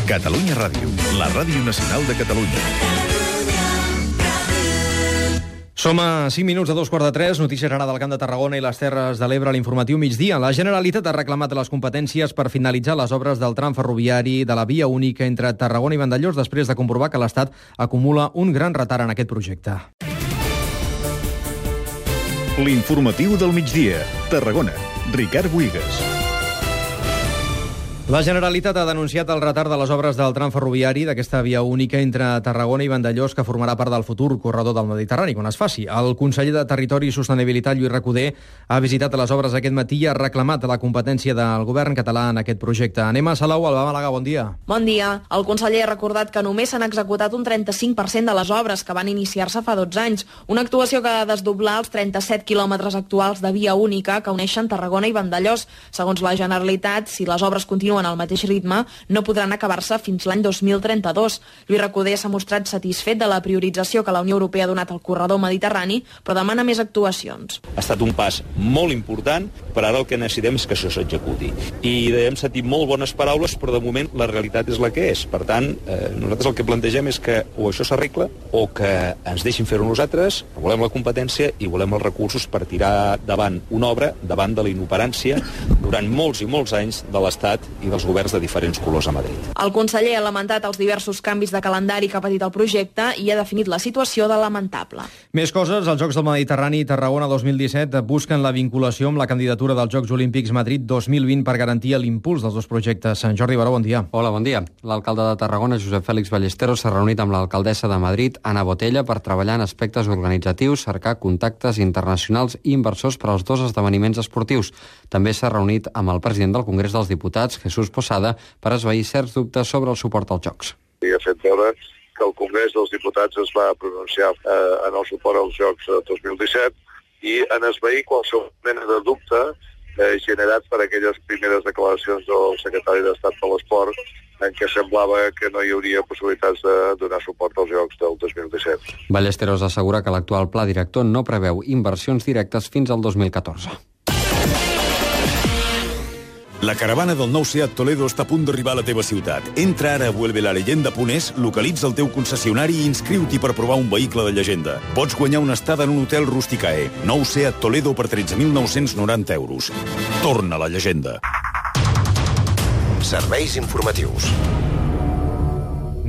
Catalunya Ràdio, la ràdio nacional de Catalunya. Som a 5 minuts de 2:45, notícies ara del Camp de Tarragona i les Terres de l'Ebre, l'informatiu migdia. La Generalitat ha reclamat les competències per finalitzar les obres del tram ferroviari de la via única entre Tarragona i Vandellòs després de comprovar que l'Estat acumula un gran retard en aquest projecte. L'informatiu del migdia. Tarragona. Ricard Buigas. La Generalitat ha denunciat el retard de les obres del tram ferroviari d'aquesta via única entre Tarragona i Vandellòs, que formarà part del futur corredor del Mediterrani, quan es faci. El conseller de Territori i Sostenibilitat, Lluís Recoder, ha visitat les obres aquest matí i ha reclamat la competència del govern català en aquest projecte. Anem a Salou, Alba Màlaga, bon dia. Bon dia. El conseller ha recordat que només s'han executat un 35% de les obres que van iniciar-se fa 12 anys, una actuació que ha de desdoblar els 37 quilòmetres actuals de via única que uneixen Tarragona i Vandellòs. Segons la Generalitat, si les obres continuen al mateix ritme, no podran acabar-se fins l'any 2032. Lluís Recoder s'ha mostrat satisfet de la priorització que la Unió Europea ha donat al corredor mediterrani, però demana més actuacions. Ha estat un pas molt important, però ara el que necessitem és que això s'executi. I hem sentit molt bones paraules, però de moment la realitat és la que és. Per tant, nosaltres el que plantegem és que o això s'arregla o que ens deixin fer-ho nosaltres, volem la competència i volem els recursos per tirar davant una obra, davant de la inoperància, durant molts i molts anys de l'Estat i dels governs de diferents colors a Madrid. El conseller ha lamentat els diversos canvis de calendari que ha patit el projecte i ha definit la situació de lamentable. Més coses, els Jocs del Mediterrani Tarragona 2017 busquen la vinculació amb la candidatura dels Jocs Olímpics Madrid 2020 per garantir l'impuls dels dos projectes. Jordi Baró, bon dia. Hola, bon dia. L'alcalde de Tarragona, Josep Fèlix Ballesteros, s'ha reunit amb l'alcaldessa de Madrid, Ana Botella, per treballar en aspectes organitzatius, cercar contactes internacionals i inversors per als dos esdeveniments esportius. També s'ha reunit amb el president del Congrés dels Diputats, Jesús Posada, per esvair certs dubtes sobre el suport als Jocs. I ha fet veure que el Congrés dels Diputats es va pronunciar en el suport als Jocs 2017 i en esvair qualsevol mena de dubte generat per aquelles primeres declaracions del secretari d'Estat per l'Esport en què semblava que no hi hauria possibilitats de donar suport als Jocs del 2017. Ballesteros assegura que l'actual pla director no preveu inversions directes fins al 2014. La caravana del nou Seat Toledo està a punt d'arribar a la teva ciutat. Entra ara a vuelvelaleyenda.es, localitza el teu concessionari i inscriu-t'hi per provar un vehicle de llegenda. Pots guanyar una estada en un hotel Rusticae. Nou Seat Toledo per 13.990 euros. Torna a la llegenda. Serveis informatius.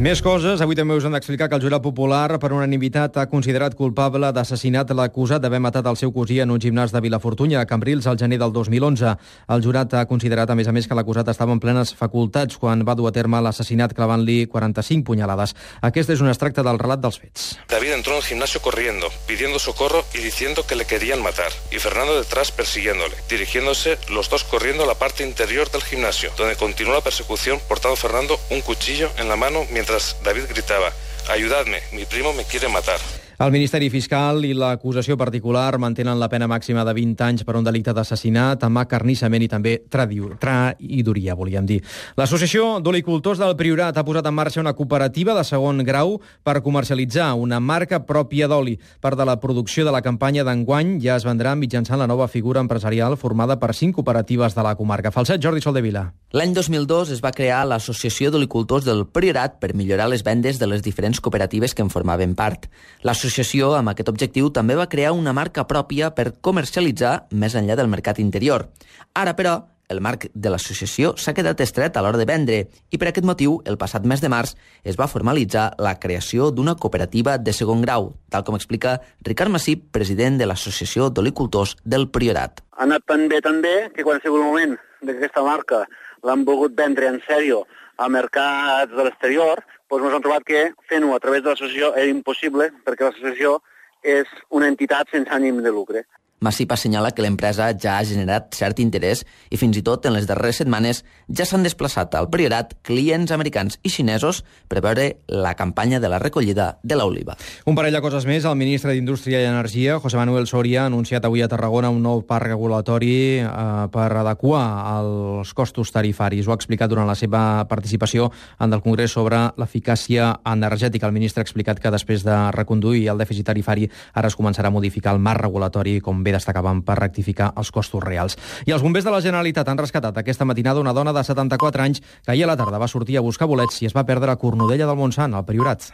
Més coses. Avui també us hem d'explicar que el jurat popular, per unanimitat, ha considerat culpable d'assassinat l'acusat d'haver matat el seu cosí en un gimnàs de Vilafortunya, a Cambrils, al gener del 2011. El jurat ha considerat, a més, que l'acusat estava en plenes facultats quan va dur a terme l'assassinat clavant-li 45 punyalades. Aquest és un extracte del relat dels fets. David entró en el gimnasio corriendo, pidiendo socorro y diciendo que le querían matar, y Fernando detrás persiguiéndole, dirigiéndose los dos corriendo a la parte interior del gimnasio, donde continuó la persecución portando Fernando un cuchillo en la mano mientras David gritaba: «Ayudadme, mi primo me quiere matar». El Ministeri Fiscal i l'acusació particular mantenen la pena màxima de 20 anys per un delicte d'assassinat, amb acarnissament i també traïdoria, volíem dir. L'Associació d'Olicultors del Priorat ha posat en marxa una cooperativa de segon grau per comercialitzar una marca pròpia d'oli. Part de la producció de la campanya d'enguany ja es vendrà mitjançant la nova figura empresarial formada per 5 cooperatives de la comarca. Falset, Jordi Soldevila. L'any 2002 es va crear l'Associació d'Olicultors del Priorat per millorar les vendes de les diferents cooperatives que en formaven part. L'associació, amb aquest objectiu, també va crear una marca pròpia per comercialitzar més enllà del mercat interior. Ara, però, el marc de l'associació s'ha quedat estret a l'hora de vendre i per aquest motiu, el passat mes de març, es va formalitzar la creació d'una cooperativa de segon grau, tal com explica Ricard Massip, president de l'Associació d'Olicultors del Priorat. Ha anat tan bé que quan ha sigut el moment d'aquesta marca l'han volgut vendre en sèrio a mercats de l'exterior, doncs ens hem trobat que fent-ho a través de l'associació era impossible perquè l'associació és una entitat sense ànim de lucre. Massip assenyala que l'empresa ja ha generat cert interès i fins i tot en les darreres setmanes ja s'han desplaçat al Priorat clients americans i xinesos per veure la campanya de la recollida de l'oliva. Un parell de coses més. El ministre d'Indústria i Energia, José Manuel Soria, ha anunciat avui a Tarragona un nou parc regulatori per adequar els costos tarifaris. Ho ha explicat durant la seva participació en el Congrés sobre l'eficàcia energètica. El ministre ha explicat que després de reconduir el dèficit tarifari ara es començarà a modificar el marc regulatori, com bé també destacaven per rectificar els costos reals. I els bombers de la Generalitat han rescatat aquesta matinada una dona de 74 anys que ahir a la tarda va sortir a buscar bolets i es va perdre a Cornudella del Montsant, al Priorat.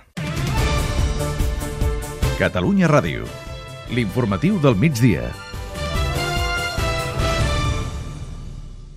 Catalunya Ràdio. L'informatiu del migdia.